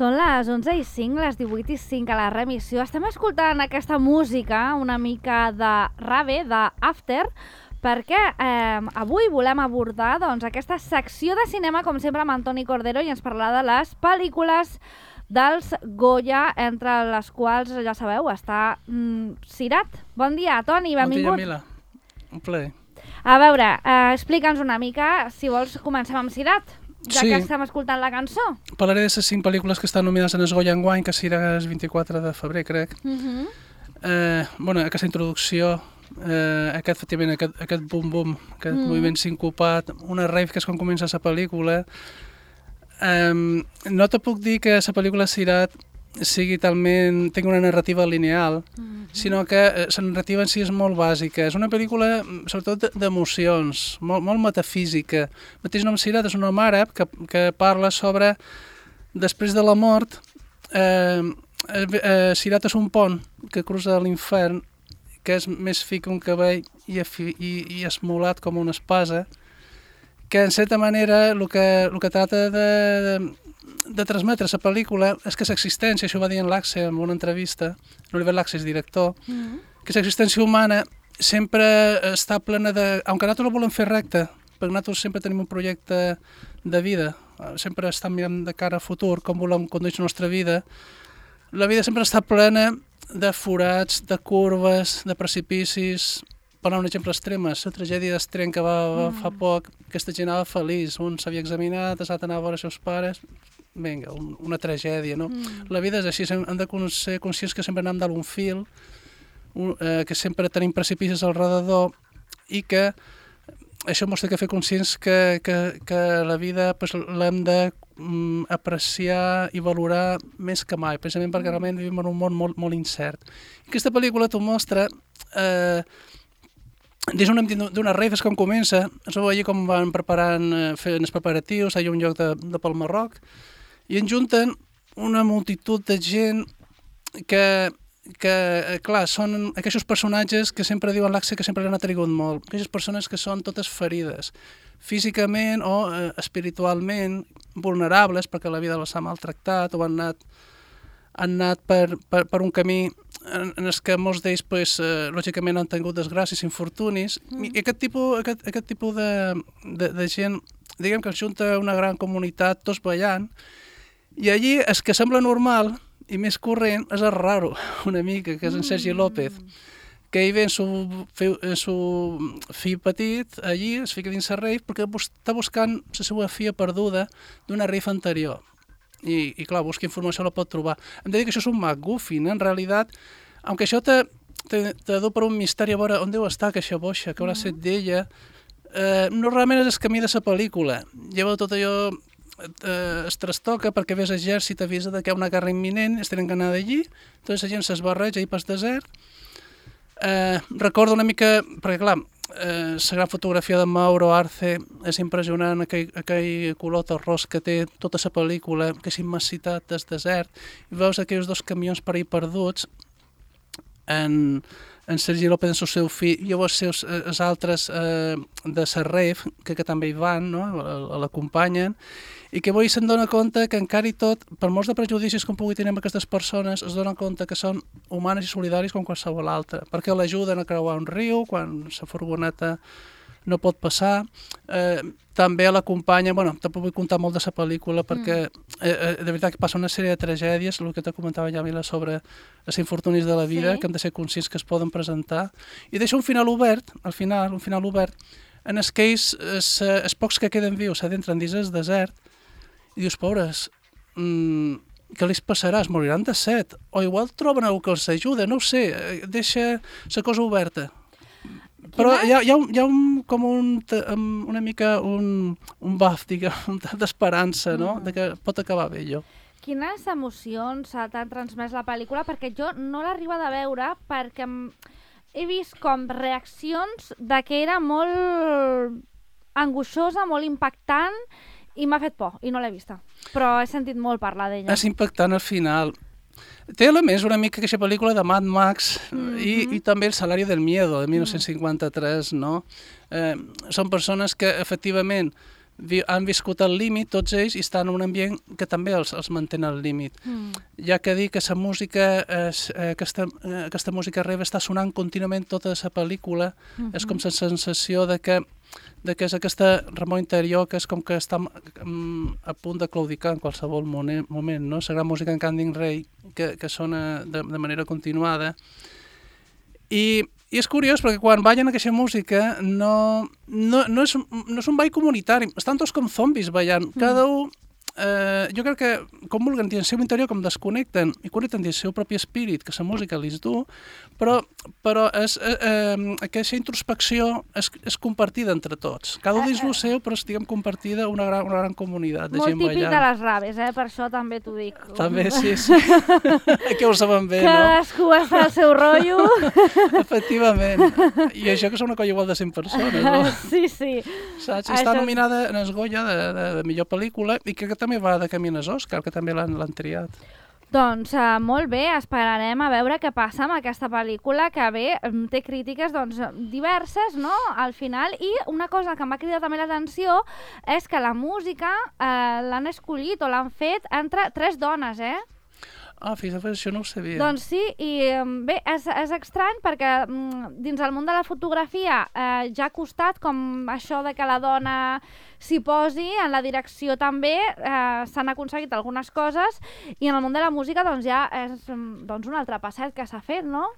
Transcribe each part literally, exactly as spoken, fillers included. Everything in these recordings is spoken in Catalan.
Són les onze i cinc, les divuit i cinc a la remissió. Estem escoltant aquesta música una mica de rave, d'after, perquè eh, avui volem abordar doncs, aquesta secció de cinema, com sempre, amb Antoni Cordero, i ens parlarà de les pel·lícules dels Goya, entre les quals, ja sabeu, està mm, Sirat. Bon dia, Toni, benvingut. Bon dia, Mila. Un plaer. A veure, eh, explica'ns una mica, si vols, comencem amb Sirat, ja sí. que estem escoltant la cançó. Parlaré de les cinc pel·lícules que estan nominades en el Goya enguany, que serà el vint-i-quatre de febrer, crec. Uh -huh. eh, bueno, aquesta introducció, eh, aquest, efectivament, aquest, aquest bum-bum, aquest uh -huh. moviment sincopat, una rave que és quan comença la pel·lícula. Eh, no te puc dir que la pel·lícula Sirat sigui talment, tingui una narrativa lineal, uh -huh. sinó que eh, la narrativa en si és molt bàsica. És una pel·lícula, sobretot, d'emocions, molt, molt metafísica. El mateix nom Sirat és un nom àrab que, que parla sobre, després de la mort, eh, eh, Sirat és un pont que cruza l'infern, que és més fi que un cabell i, i, i esmolat com una espasa, que en certa manera el que, el que tracta de, de, de transmetre la pel·lícula és que l'existència, això ho va dir en l'Axe en una entrevista, l'Oliver Laxe és director, mm -hmm. que l'existència humana sempre està plena de... Aunque nosaltres la volem fer recta, perquè nosaltres sempre tenim un projecte de vida, sempre estem mirant de cara al futur, com volem conduir la nostra vida, la vida sempre està plena de forats, de curves, de precipicis. Per un exemple extrem, la tragèdia d'Estreny que va, va fa poc, aquesta gent anava feliç, un s'havia examinat, l'altre anava a veure els seus pares, vinga, un, una tragèdia, no? Mm. La vida és així, hem de ser conscients que sempre anem dalt un fil, un, eh, que sempre tenim precipicis al redador i que això mostra que fer conscients que, que, que la vida pues, l'hem de mm, apreciar i valorar més que mai, precisament perquè realment vivim en un món molt, molt incert. I aquesta pel·lícula t'ho mostra... Eh, Des d'una rave és com comença, es veu allí com van preparant, fent els preparatius, hi ha un lloc de, de pel Marroc, i en junten una multitud de gent que, que clar, són aquests personatges que sempre diuen l'Axe que sempre l'han atrigut molt, aquestes persones que són totes ferides, físicament o eh, espiritualment vulnerables perquè la vida els ha maltractat o han anat, han anat per, per, per un camí en, en els que molts d'ells, pues, eh, lògicament, han tingut desgràcies, infortunis, mm. i aquest tipus, aquest, aquest tipus de, de, de gent, diguem que es junta una gran comunitat, tots ballant, i allí el que sembla normal i més corrent és el raro, una mica, que és en Sergi López, que ell ve en su, en su fill petit, allí, es fica dins la rave, perquè està buscant la seva filla perduda d'una rave anterior. I, i clar, busca informació, la pot trobar. Hem de dir que això és un MacGuffin, eh? En realitat, aunque això te, te, te du per un misteri a veure on deu estar aquesta boixa, que haurà set d'ella, eh, normalment és el camí de la pel·lícula. Llavors tot allò eh, es trastoca perquè ves l'exèrcit, avisa que hi ha una guerra imminent, es tenen que anar d'allí, tota la gent s'esbarreja ahir pel desert. Eh, recordo una mica, perquè clar, Eh, la gran fotografia de Mauro Arce és impressionant, aquell, aquell color terrós que té tota la pel·lícula, aquesta immensitat del desert, i veus aquells dos camions per ahir perduts, en, en Sergi López, en el seu fill, i llavors els, els altres eh, de la rave, que, que també hi van, no? L'acompanyen, i que avui se'n dona compte que encara i tot, per molts de prejudicis com pugui tenir amb aquestes persones, es donen compte que són humanes i solidaris com qualsevol altra, perquè l'ajuden a creuar un riu quan la furgoneta no pot passar, eh, també l'acompanya, bueno, tampoc vull contar molt de la pel·lícula perquè mm. eh, de veritat que passa una sèrie de tragèdies, el que te comentava ja Mila sobre els infortunis de la vida, sí. que hem de ser conscients que es poden presentar, i deixa un final obert, al final, un final obert, en els que ells, els, els pocs que queden vius, s'adentren dins el desert, i dius, pobres, mmm, què els passarà? Es moriran de set, o igual troben algú que els ajuda, no ho sé, deixa la cosa oberta. Però hi ha, hi ha, un, hi ha un, com un, una mica un, un buff, diguem, d'esperança, no? Mm. De que pot acabar bé, allò. Quines emocions t'ha transmès la pel·lícula? Perquè jo no l'he arribat a veure perquè he vist com reaccions de que era molt angoixosa, molt impactant, i m'ha fet por, i no l'he vista. Però he sentit molt parlar d'ella. És impactant al final. Té elements una mica aquesta pel·lícula de Mad Max mm-hmm. i, i també El Salario del Miedo, de dinou cinquanta-tres, no? Eh, són persones que, efectivament, vi, han viscut al límit, tots ells, i estan en un ambient que també els, els mantén al límit. Mm. Ja que dir que la música, és, eh, aquesta, eh, aquesta música rave està sonant contínuament tota la pel·lícula, mm-hmm. és com la sensació de que, de que és aquesta remor interior que és com que està um, a punt de claudicar en qualsevol moment, moment no? La gran música en Candy Ray que, que sona de, de manera continuada. I, I és curiós perquè quan ballen aquesta música no, no, no, és, no és un ball comunitari, estan tots com zombis ballant, cada un, eh, jo crec que com vulguen dir el seu interior, com desconnecten i connecten el seu propi espírit, que la música li du, però, però és, eh, eh, aquesta introspecció és, és compartida entre tots, cada un dins el seu, però estiguem compartida una gran, una gran comunitat de molt gent ballant. Molt típic de les raves, eh? Per això també t'ho dic. També, sí, sí. Que ho saben bé, no? Cadascú està al seu rotllo. Efectivament. I això que és una colla igual de cent persones, no? Sí, sí. Saps? I està nominada en el Goya de, de, de millor pel·lícula i crec que també va de camí als Òscar, que també l'han triat. Doncs uh, molt bé, esperarem a veure què passa amb aquesta pel·lícula, que bé, té crítiques doncs, diverses, no?, al final. I una cosa que m'ha cridat també l'atenció és que la música eh, l'han escollit o l'han fet entre tres dones, eh? Ah, fixa't, això no ho sabia. Doncs sí, i bé, és, és estrany perquè dins el món de la fotografia eh, ja ha costat com això de que la dona s'hi posi, en la direcció també eh, s'han aconseguit algunes coses i en el món de la música doncs ja és doncs, un altre passet que s'ha fet, no?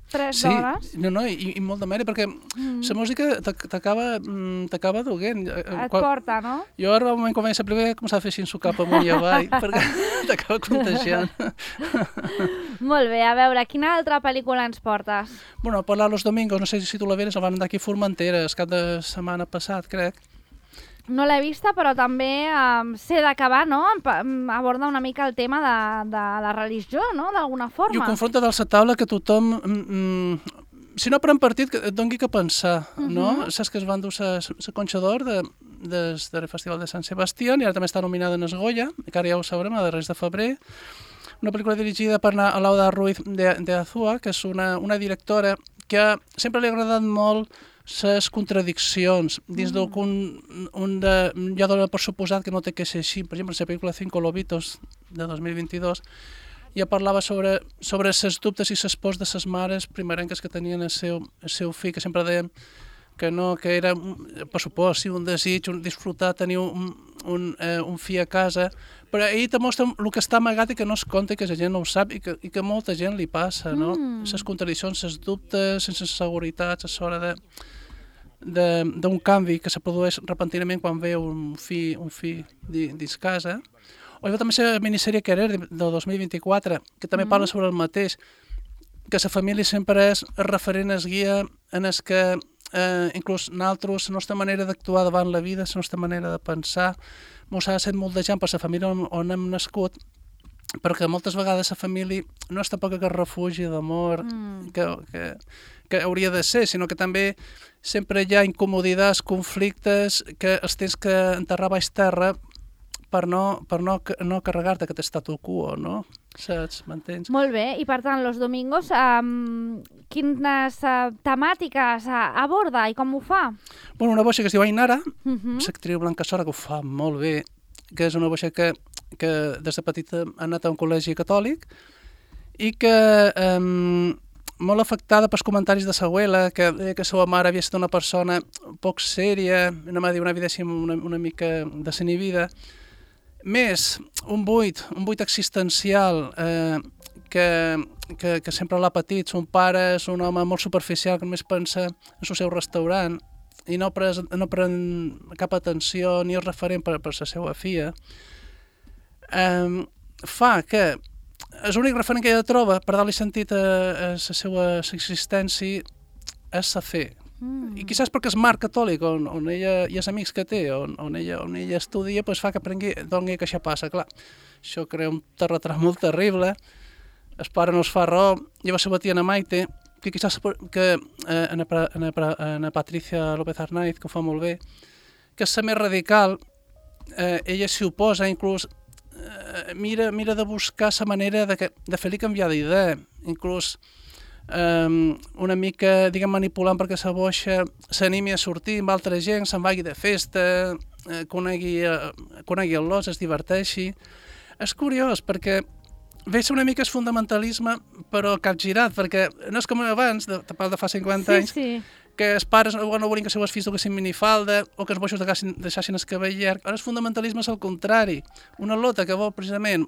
Tres sí, dones. No, no, i, i molt de mèrit, perquè mm. la música t'acaba duguent. Et Quan, porta, no? Jo ara, al moment quan vaig a primer, he començat a fer així en su cap amunt i avall, perquè t'acaba contagiant. Molt bé, a veure, quina altra pel·lícula ens portes? Bueno, parlar Los Domingos, no sé si tu la veres, el van anar aquí a Formentera, el cap de setmana passat, crec. No l'he vista, però també um, sé de què va, no? Aborda una mica el tema de, de la religió, no? D'alguna forma. I ho confronta dalt la taula que tothom, mm, si no pren partit, que et doni que pensar, uh -huh. no? Saps que es van dur la Conxa d'Or de, des del Festival de Sant Sebastián i ara també està nominada en el Goya, que ara ja ho sabrem, a darrers de febrer. Una pel·lícula dirigida per Alauda Ruiz de, de Azúa, que és una, una directora que sempre li ha agradat molt les contradiccions dins mm. d'un un de, ja dona per suposat que no té que ser així. Per exemple, la pel·lícula Cinco Lobitos de dos mil vint-i-dos ja parlava sobre, sobre les dubtes i les pors de les mares primerenques que tenien el seu, el seu fill, que sempre deien que no, que era, per supost, sí, un desig, un disfrutar, tenir un, un, eh, un fill a casa, però ell te mostra el que està amagat i que no es compta i que la gent no ho sap i que, i que molta gent li passa, no? Mm. Les contradiccions, les dubtes, sense seguretats, a l'hora de d'un canvi que se produeix repentinament quan ve un fill, un fill dins casa. O hi va també la minissèrie Querer, del dos mil vint-i-quatre, que també mm. parla sobre el mateix, que la família sempre és referent, es guia en el que eh, inclús nosaltres, la nostra manera d'actuar davant la vida, la nostra manera de pensar, mos ha set molt de gent per la família on, on hem nascut, perquè moltes vegades la família no és tampoc aquest refugi d'amor mm. que, que, que hauria de ser, sinó que també sempre hi ha incomoditats, conflictes que els tens que enterrar baix terra per no, per no, no carregar-te aquest statu quo, no? Saps? M'entens? Molt bé, i per tant, Los Domingos, um, quines uh, temàtiques uh, aborda i com ho fa? Bueno, una boixa que es diu Ainara, uh-huh. l'actriu Blanca Sora, que ho fa molt bé, que és una boixa que, que des de petita ha anat a un col·legi catòlic i que um, molt afectada pels comentaris de sa abuela, que deia que la seva mare havia estat una persona poc sèria, no m'ha dit una vida una, una mica desinhibida. Més, un buit, un buit existencial eh, que, que, que sempre l'ha patit. Son pare és un home molt superficial que només pensa en el seu restaurant i no pren, no pren cap atenció ni és referent per, per la seva filla. Eh, fa que és l'únic referent que ella troba per dar-li sentit a, a la seva existència és la fe. Mm. I quizás perquè el marc catòlic on, on ella i els amics que té, on, on, ella, on ella estudia, pues fa que aprengui d'on que això passa. Clar, això crea un terratrèmol terrible, el pare no es fa raó, llavors la tia Ana Maite, que quizás que eh, Ana, Ana, Ana Patricia López Arnaiz, que ho fa molt bé, que és la més radical, eh, ella s'hi oposa, inclús eh, mira, mira de buscar la manera de, que, de fer-li canviar d'idea, inclús um, una mica, diguem, manipulant perquè la boixa s'animi a sortir amb altra gent, se'n vagi de festa, eh, conegui, eh, conegui el los, es diverteixi. És curiós, perquè veig una mica el fundamentalisme, però capgirat, perquè no és com abans, de, de fa cinquanta Sí, anys, sí. que els pares no volien que els seus fills duguessin minifalda o que els boixos deixassin el cabell llarg. Ara el fundamentalisme és el contrari. Una lota que vol precisament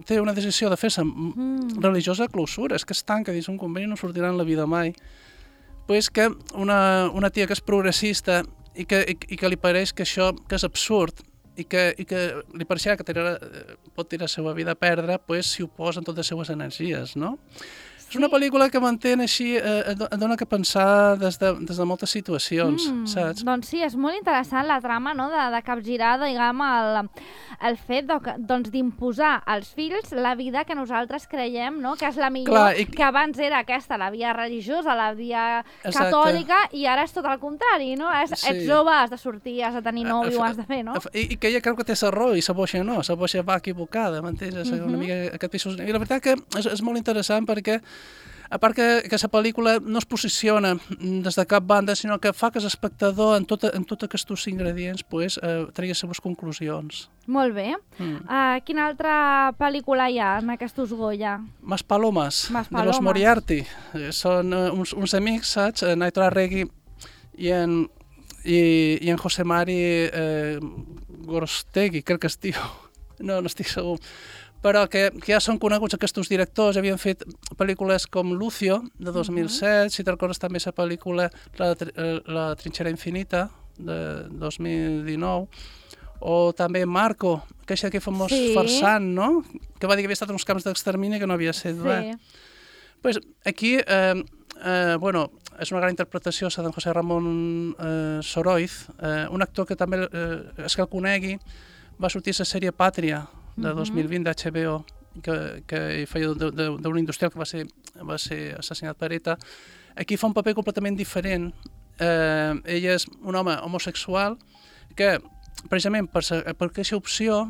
té una decisió de fer-se mm. religiosa clausura, és que es tanca dins un convent i no sortirà en la vida mai. Pues que una, una tia que és progressista i que, i, i que li pareix que això que és absurd i que, i que li pareixerà que tirarà, pot tirar la seva vida a perdre, pues s'hi oposen totes les seues energies, no? És una pel·lícula que mantén així, eh, et dona que pensar des de, des de moltes situacions, mm, saps? Doncs sí, és molt interessant la trama, no?, de, de capgirar, diguem, el, el fet de, doncs, d'imposar als fills la vida que nosaltres creiem, no?, que és la millor, Clar, i... que abans era aquesta, la via religiosa, la via Exacte. catòlica, i ara és tot el contrari, no? És, sí. Ets jove, has de sortir, has de tenir nòvio, ho has de fer, no? I, i que ella creu que té la raó i la boixa no, la boixa va equivocada, m'entens? És uh-huh. una mica aquest pisos... I la veritat que és, és molt interessant perquè a part que, que la pel·lícula no es posiciona des de cap banda, sinó que fa que l'espectador, en tots en tot aquests ingredients, pues, eh, tregui les seves conclusions. Molt bé. Mm. Uh, quina altra pel·lícula hi ha en aquests Goya? Mas Palomas, Mas Palomas, de los Moriarty. Són uh, uns, uns amics, saps? Naito Arregui i en, i, i en José Mari eh, Gorostegui, crec que es diu. No, no estic segur. Però que, que ja són coneguts aquests directors, havien fet pel·lícules com Lucio, de dos mil set, uh-huh. si te'n recordes també la pel·lícula La, la trinxera infinita, de dos mil dinou, o també Marco, que és aquell famós sí. farsant, no?, que va dir que havia estat en uns camps d'extermini que no havia set sí. res. Pues aquí, eh, eh, bueno, és una gran interpretació la d'en José Ramon eh, Soroiz, eh, un actor que també, eh, és que el conegui, va sortir a la sèrie Pàtria, de dos mil vint d'H B O, que, que feia d'un industrial que va ser, va ser assassinat per ETA. Aquí fa un paper completament diferent. Eh, ell és un home homosexual que, precisament per, per aquesta opció,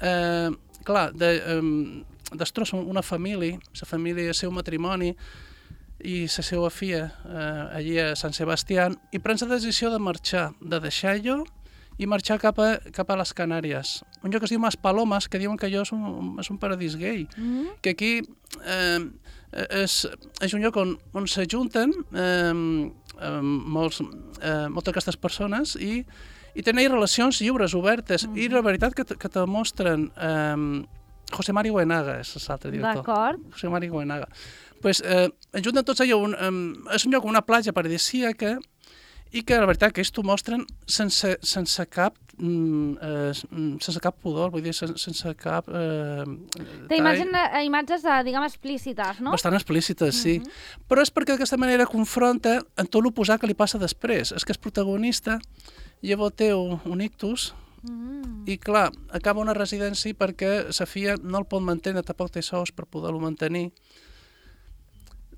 eh, clar, de, eh, destrossa una família, la família, el seu matrimoni i la seva filla eh, allí a Sant Sebastià, i pren la decisió de marxar, de deixar-lo i marxar cap a, cap a les Canàries. Un lloc que es diu Mas Palomas, que diuen que allò és un, és un paradís gay. Mm-hmm. Que aquí eh, és, és un lloc on, on s'ajunten eh, eh, molts, eh, moltes d'aquestes persones i, i tenen relacions lliures, obertes. Mm-hmm. I la veritat que, que te mostren... Eh, José Mari Goenaga és l'altre director. D'acord. José Mari Goenaga. Pues, eh, ajunten tots allò, un, eh, és un lloc, una platja paradisíaca, i que la veritat que ells t'ho mostren sense, sense cap eh, sense cap pudor, vull dir, sense, sense cap... Eh, Té imatges, diguem, explícites, no? Bastant explícites, sí. Uh-huh. Però és perquè d'aquesta manera confronta en tot l'oposat que li passa després. És que el protagonista llavors té un, un ictus uh-huh. i, clar, acaba una residència perquè sa filla no el pot mantenir, tampoc té sous per poder-lo mantenir.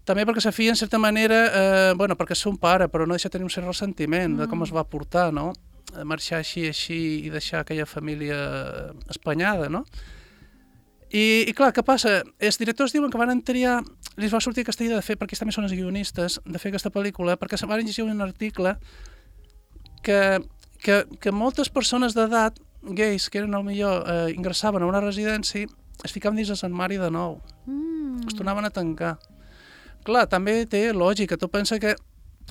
També perquè la filla, en certa manera, eh, bueno, perquè és un pare, però no deixa tenir un cert ressentiment mm. de com es va portar, no? Marxar així, així i deixar aquella família espanyada, no? I, i clar, què passa? Els directors diuen que van triar, els va sortir aquesta idea de fer, perquè ells també són els guionistes, de fer aquesta pel·lícula, perquè se van llegir un article que, que, que moltes persones d'edat, gais, que eren potser eh, ingressaven a una residència, es ficaven dins el armari de nou. Mm. Es tornaven a tancar. Clar, també té lògica. Tu pensa que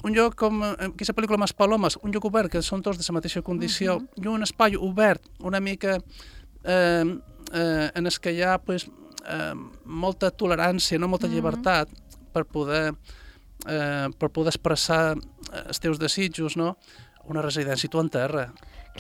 un lloc com aquesta pel·lícula Mas Palomas, un lloc obert, que són tots de la mateixa condició, uh-huh. i un espai obert, una mica eh, eh, en el que hi ha pues, eh, molta tolerància, no molta uh-huh. llibertat per poder, eh, per poder expressar els teus desitjos, no? Una residència tu en terra.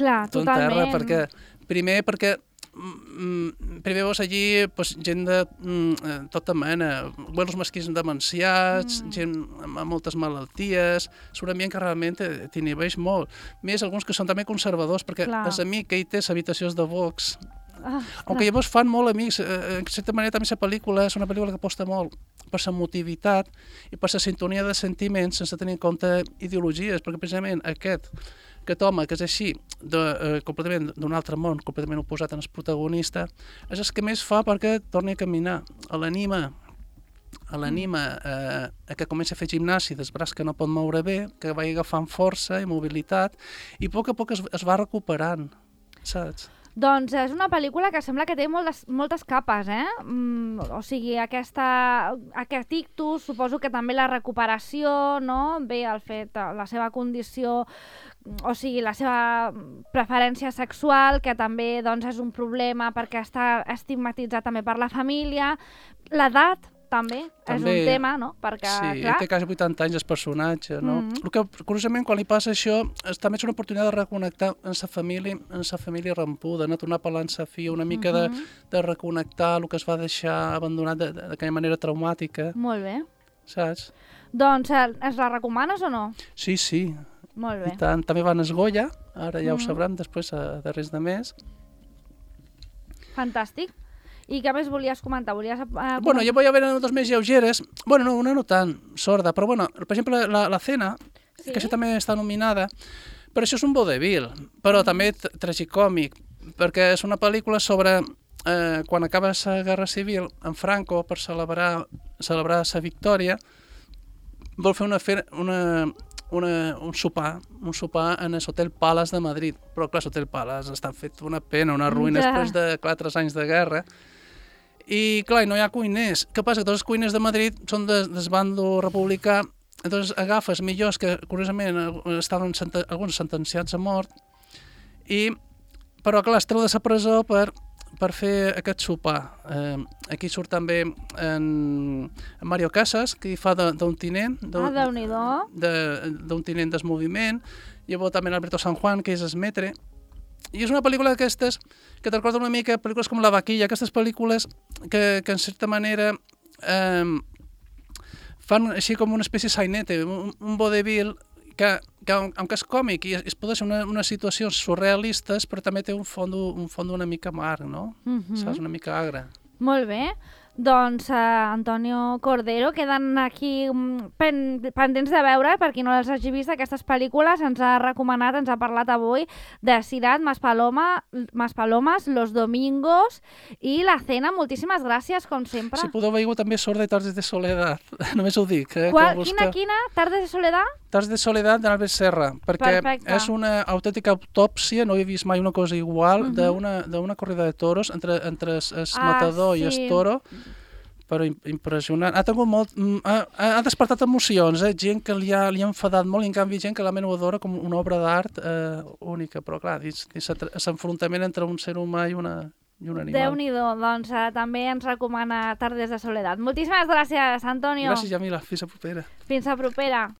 Clar, tu totalment. En terra, perquè, primer perquè Mm, primer veus allí pues, gent de mm, tota mena, vuelos masquins demenciats, mm. gent amb, amb moltes malalties, és un ambient que realment t'inhibeix molt. Més alguns que són també conservadors, perquè Clar. És amic que hi té habitacions de Vox. Ah, Aunque llavors fan molt amics, eh, en certa manera també la pel·lícula és una pel·lícula que aposta molt per la motivitat i per la sintonia de sentiments sense tenir en compte ideologies, perquè precisament aquest aquest home que és així, de, eh, completament d'un altre món, completament oposat al protagonista, és el que més fa perquè torni a caminar, l'anima l'anima eh, a que comenci a fer gimnàsia dels braços que no pot moure bé, que vagi agafant força i mobilitat, i a poc a poc es, es va recuperant, saps? Doncs és una pel·lícula que sembla que té moltes, moltes capes, eh? Mm, o sigui, aquesta, aquest ictus, suposo que també la recuperació, no? Bé, el fet, la seva condició, o sigui, la seva preferència sexual, que també doncs, és un problema perquè està estigmatitzat també per la família, l'edat, també, també és un tema, no? Perquè, sí, clar... té quasi vuitanta anys el personatge, no? Mm -hmm. El que, curiosament, quan li passa això, és, també és una oportunitat de reconnectar amb sa família, amb sa família rampuda, no? Tornar a parlar amb sa filla, una mica mm -hmm. de, de reconnectar el que es va deixar abandonat d'aquella manera traumàtica. Molt bé. Saps? Doncs, es la recomanes o no? Sí, sí. Molt bé. I tant, també van a Esgolla, ara ja mm -hmm. ho sabrem, després a darrers de mes. Fantàstic. I què més volies comentar? Volies, uh, comentar? Bueno, jo voy a ver notes més lleugeres. Bueno, no, una no tan sorda, però bueno, per exemple, la, la Cena, sí? Que això també està nominada, però això és un vodevil, però mm. també tragicòmic, perquè és una pel·lícula sobre eh, quan acaba la Guerra Civil, en Franco, per celebrar celebrar sa victòria, vol fer una, una, una, un sopar, un sopar en l'Hotel Palace de Madrid, però clar, l'Hotel Palace està fet una pena, una ruïna ja. Després de quatre anys de guerra. I, clar, no hi ha cuiners. Què passa? Que tots els cuiners de Madrid són de, del bando republicà, llavors agafes millors que, curiosament, estaven senten, alguns sentenciats a mort, i, però, clar, es treu de la presó per, per fer aquest sopar. Eh, aquí surt també en, en Mario Casas, que hi fa d'un tinent, ah, Déu-n'hi-do. d'un tinent del moviment, llavors també Alberto San Juan, que és el metre. I és una pel·lícula d'aquestes que te recorda una mica pel·lícules com La vaquilla, aquestes pel·lícules que, que en certa manera eh, fan així com una espècie de sainete, un, un vodevil que, que aunque és còmic i es pot ser una, unes situacions surrealistes, però també té un fons un fons una mica amarg, no? Mm-hmm. Saps? Una mica agre. Molt bé. Doncs, eh, Antonio Cordero, queden aquí pen, pendents de veure, per qui no les hagi vist, aquestes pel·lícules. Ens ha recomanat, ens ha parlat avui de Cirat, Maspaloma, Maspalomas, Los Domingos i La Cena. Moltíssimes gràcies, com sempre. Si podeu veure també Sorda i Tardes de Soledat, només ho dic. Eh, Qual, quina, quina? Tardes de Soledat? Tardes de Soledat d'Albert Serra, perquè Perfecte. És una autèntica autòpsia, no he vist mai una cosa igual, uh -huh. d'una corrida de toros entre, entre el ah, matador sí. i el toro, però impressionant. Ha tingut molt... Ha, ha despertat emocions, eh? Gent que li ha, li ha enfadat molt, i en canvi gent que la ho adora com una obra d'art eh, única, però clar, és l'enfrontament entre un ser humà i, una, i un animal. Déu-n'hi-do, doncs eh, també ens recomana Tardes de Soledat. Moltíssimes gràcies, Antonio. Gràcies, Jamila. Fins a propera. Fins a propera.